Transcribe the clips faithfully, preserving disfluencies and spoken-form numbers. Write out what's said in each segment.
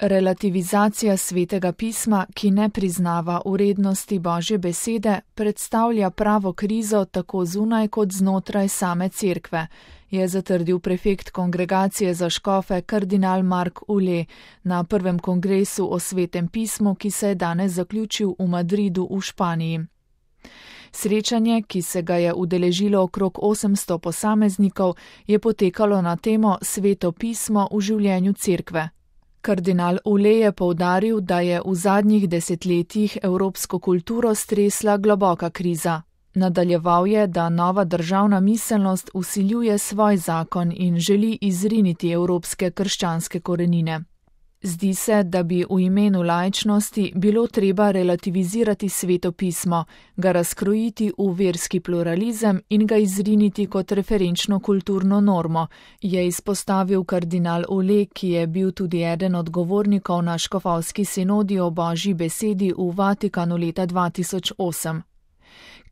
Relativizacija Svetega pisma, ki ne priznava vrednosti Božje besede, predstavlja pravo krizo tako zunaj kot znotraj same cerkve, je zatrdil prefekt Kongregacije za škofe kardinal Mark Ule na prvem kongresu o Svetem pismu, ki se je danes zaključil v Madridu v Španiji. Srečanje, ki se ga je udeležilo okrog osemsto posameznikov, je potekalo na temo Sveto pismo v življenju cerkve. Kardinal Ule je poudaril, da je v zadnjih desetletjih evropsko kulturo stresla globoka kriza. Nadaljeval je, da nova državna miselnost vsiljuje svoj zakon in želi izriniti evropske krščanske korenine. Zdi se, da bi v imenu laičnosti bilo treba relativizirati Sveto pismo, ga razkrojiti v verski pluralizem in ga izriniti kot referenčno kulturno normo, je izpostavil kardinal Ule, ki je bil tudi eden od govornikov na škofovski sinodi o Božji besedi v Vatikanu leta dva tisoč osem.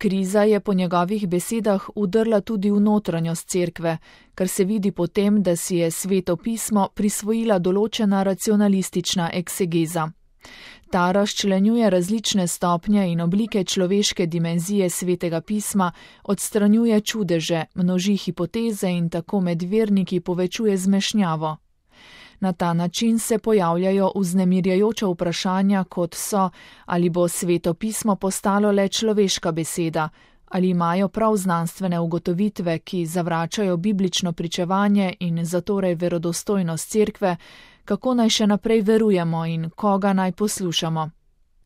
Kriza je po njegovih besedah vdrla tudi v notranjost cerkve, kar se vidi po tem, da si je Sveto pismo prisvojila določena racionalistična eksegeza. Ta razčlenjuje različne stopnje in oblike človeške dimenzije Svetega pisma, odstranjuje čudeže, množi hipoteze in tako med verniki povečuje zmešnjavo. Na ta način se pojavljajo vznemirjajoča vprašanja, kot so, ali bo Sveto pismo postalo le človeška beseda, ali imajo prav znanstvene ugotovitve, ki zavračajo biblično pričevanje in zatorej verodostojnost cerkve, kako naj še naprej verujemo in koga naj poslušamo.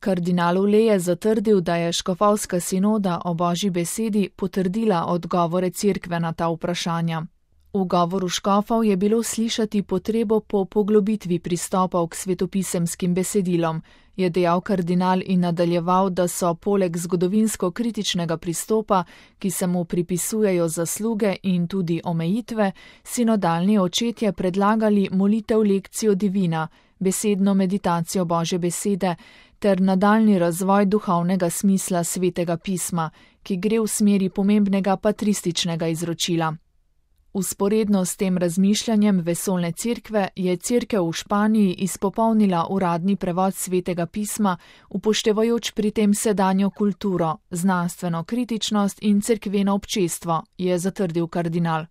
Kardinal Ule je zatrdil, da je škofovska sinoda o Božji besedi potrdila odgovore cerkve na ta vprašanja. V govoru škofov je bilo slišati potrebo po poglobitvi pristopov k svetopisemskim besedilom, je dejal kardinal in nadaljeval, da so poleg zgodovinsko-kritičnega pristopa, ki se mu pripisujejo zasluge in tudi omejitve, sinodalni očetje predlagali molitev lekcijo divina, besedno meditacijo Božje besede ter nadaljni razvoj duhovnega smisla Svetega pisma, ki gre v smeri pomembnega patrističnega izročila. Vzporedno s tem razmišljanjem vesoljne cerkve je cerkev v Španiji izpopolnila uradni prevod Svetega pisma, upoštevajoč pri tem sedanjo kulturo, znanstveno kritičnost in cerkveno občestvo, je zatrdil kardinal.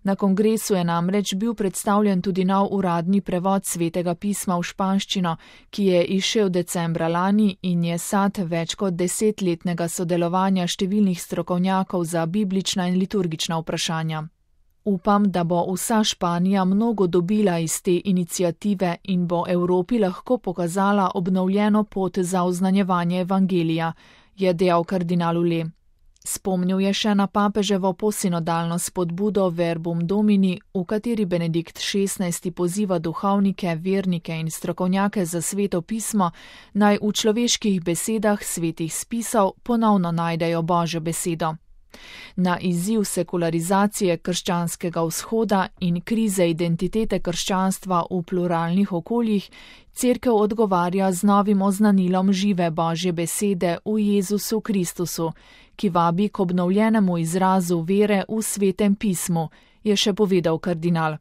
Na kongresu je namreč bil predstavljen tudi nov uradni prevod Svetega pisma v španščino, ki je izšel decembra lani in je sad več kot desetletnega sodelovanja številnih strokovnjakov za biblična in liturgična vprašanja. Upam, da bo vsa Španija mnogo dobila iz te iniciative in bo Evropi lahko pokazala obnovljeno pot za oznanjevanje evangelija, je dejal kardinal Ule. Spomnil je še na papeževo posinodalno spodbudo Verbum Domini, v kateri Benedikt šestnajsti poziva duhovnike, vernike in strokovnjake za Sveto pismo, naj v človeških besedah svetih spisov ponovno najdejo Božjo besedo. Na izziv sekularizacije krščanskega vzhoda in krize identitete krščanstva v pluralnih okoljih, cerkev odgovarja z novim oznanilom žive Božje besede v Jezusu Kristusu, ki vabi k obnovljenemu izrazu vere v Svetem pismu, je še povedal kardinal.